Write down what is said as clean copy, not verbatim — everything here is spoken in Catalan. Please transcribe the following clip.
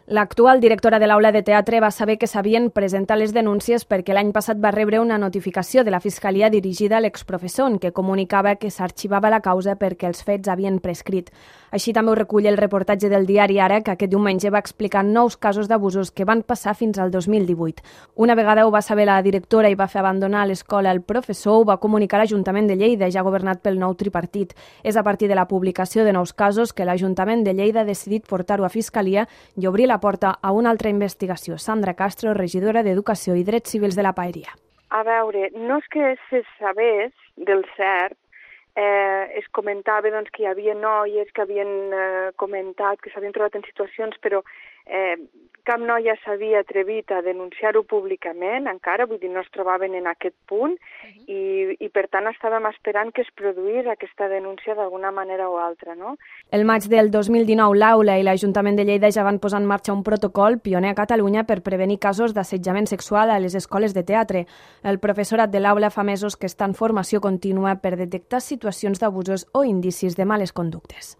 L'actual directora de l'aula de teatre va saber que s'havien presentat les denúncies perquè l'any passat va rebre una notificació de la Fiscalia dirigida a l'exprofessor en què comunicava que s'arxivava la causa perquè els fets havien prescrit. Així també ho recull el reportatge del diari Ara, que aquest diumenge va explicar 9 casos d'abusos que van passar fins al 2018. Una vegada ho va saber la directora i va fer abandonar l'escola el professor, ho va comunicar l'Ajuntament de Lleida, ja governat pel nou tripartit. És a partir de la publicació de nous casos que l'Ajuntament de Lleida ha decidit portar-ho a Fiscalia i obrir la porta a una altra investigació. Sandra Castro, regidora d'Educació i Drets Civils de la Paeria. A veure, no és que se sabés del cert, es comentava doncs, que hi havia noies que havien comentat que s'havien trobat en situacions, però cap noia s'havia atrevit a denunciar-ho públicament, encara, vull dir, no es trobaven en aquest punt, i per tant estàvem esperant que es produís aquesta denúncia d'alguna manera o altra, no? El maig del 2019, l'Aula i l'Ajuntament de Lleida ja van posar en marxa un protocol pioner a Catalunya per prevenir casos d'assetjament sexual a les escoles de teatre. El professorat de l'Aula fa mesos que està en formació contínua per detectar situacions d'abusos o indicis de males conductes.